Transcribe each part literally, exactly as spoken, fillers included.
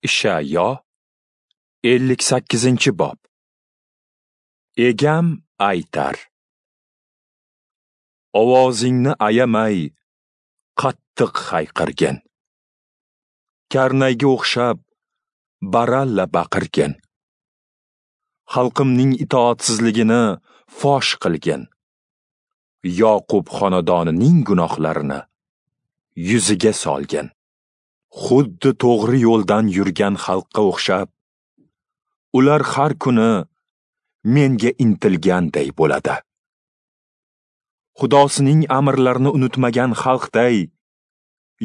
Ishayo ellik sakkizinchi bob. Egam aytar: ovozingni ayamay qattiq hayqirgin. Karnayga o'xshab baralla baqirgin. Xalqimning itoatsizligini fosh qilgin. Yoqub xonadonining gunohlarini yuziga solgin. Xuddi to'g'ri yo'ldan yurgan xalqqa o'xshab, ular har kuni menga intilganday bo'ladi. Xudosining amrlarini unutmagan xalqday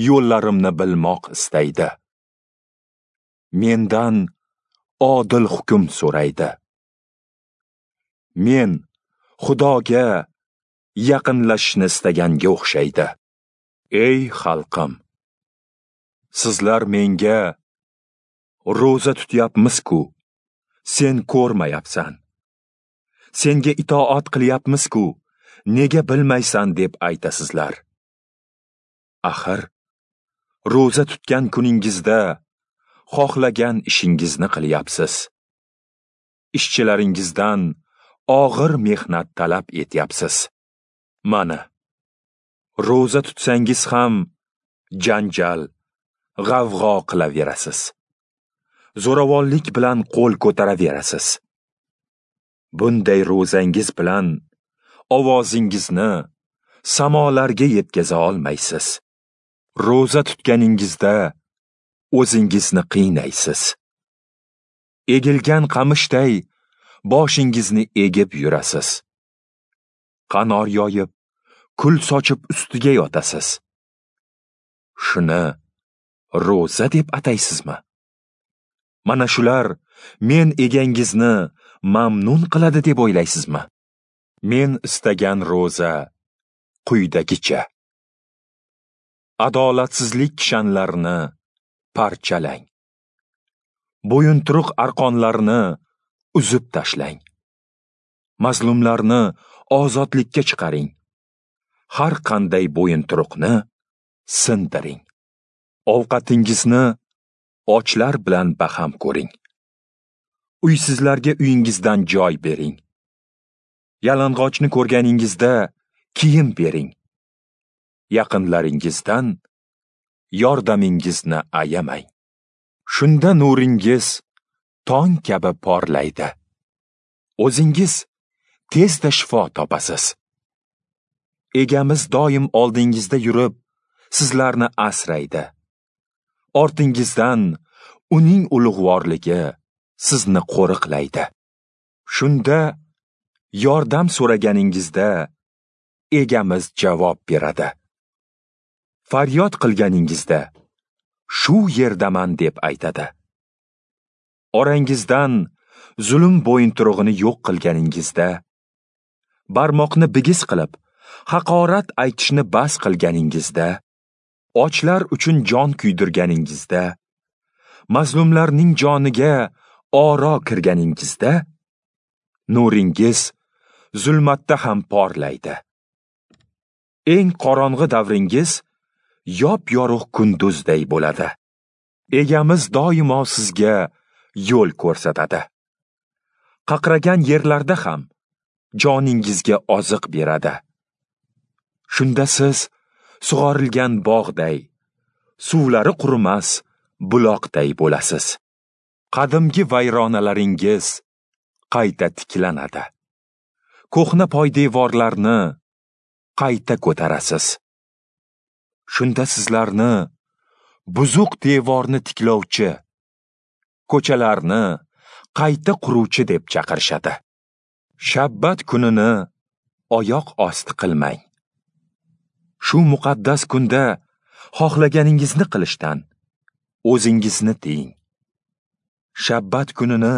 yo'llarimni bilmoq istaydi. Mendan odil hukm so'raydi. Men Xudoga yaqinlashishni istaganga o'xshaydi. Ey xalqim, sizlar menga ro'za tutyapmiz-ku, sen ko'rmayapsan. Senga itoat qilyapmiz-ku, nega bilmaysan deb aytasizlar. Axir, ro'za tutgan kuningizda xohlagan ishingizni qilyapsiz. Ishchilaringizdan og'ir mehnat talab etyapsiz. Mana, ro'za tutsangiz ham janjal, g'avg'o qilaverasiz. Zo'ravonlik bilan qo'l ko'taraverasiz. Bunday ro'zangiz bilan ovozingizni samolarga yetkaza olmaysiz. Ro'za tutganingizda o'zingizni qiynaysiz. Egilgan qamishday boshingizni egib yurasiz. Qanor yoyib, kul sochib ustiga yotasiz. Shuni ro'za deb ataysizmi? Mana shular men egangizni mamnun qiladi deb o'ylaysizmi? Men istagan ro'za quyidagicha: adolatsizlik kishanlarini parchalang. Bo'yinturuq arqonlarni uzib tashlang. Mazlumlarni ozodlikka chiqaring. Har qanday bo'yinturuqni sindiring. Ovqatingizni ochlar bilan baham ko'ring. Uysizlarga uyingizdan joy bering. Yalang'ochni ko'rganingizda kiyim bering. Yaqinlaringizdan yordamingizni ayamang. Shunda nuringiz tong kabi porlaydi. O'zingiz tezda shifo topasiz. Egamiz doim oldingizda yurib, sizlarni asraydi. Ortingizdan uning ulug'vorligi sizni qo'riqlaydi. Shunda yordam so'raganingizda egamiz javob beradi. Faryod qilganingizda shu yerdaman deb aytadi. Orangizdan zulm bo'yinturug'ini yo'q qilganingizda, barmoqni bigiz qilib, haqorat aytishni bas qilganingizda, ochlar uchun jon kuydirganingizda, mazlumlarning joniga oro kirganingizda, nuringiz zulmatda ham porlaydi. Eng qorong'i davringiz yop-yorug' kunduzday bo'ladi. Egamiz doimo sizga yo'l ko'rsatadi. Qaqragan yerlarda ham joningizga oziq beradi. Shunda siz sug'orilgan bog'day, suvlari qurimas buloqday bo'lasiz. Qadimgi vayronalaringiz qayta tiklanadi. Ko'hna poydevorlarni qayta ko'tarasiz. Shunda sizlarni buzuq devorni tiklovchi, ko'chalarni qayta quruvchi deb chaqirishadi. Shabbat kunini oyoq osti qilmang. Shu muqaddas kunda xohlaganingizni qilishdan o'zingizni tiying. Shabbat kunini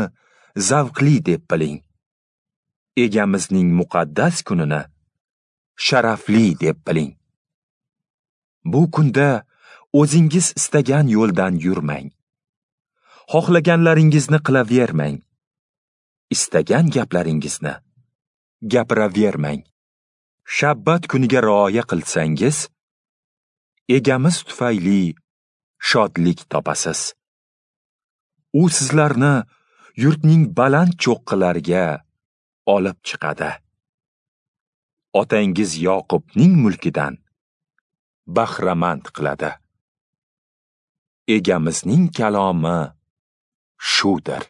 zavqli deb biling. Egamizning muqaddas kunini sharafli deb biling. Bu kunda o'zingiz istagan yo'ldan yurmang. Xohlaganlaringizni qilavermang. Istagan gaplaringizni gapiravermang. Shabbat kuniga rioya qilsangiz, egamiz tufayli shodlik topasiz. U sizlarni yurtning baland cho'qqilariga olib chiqadi. Otangiz Yoqubning mulkidan bahramand qiladi. Egamizning kalomi shudir.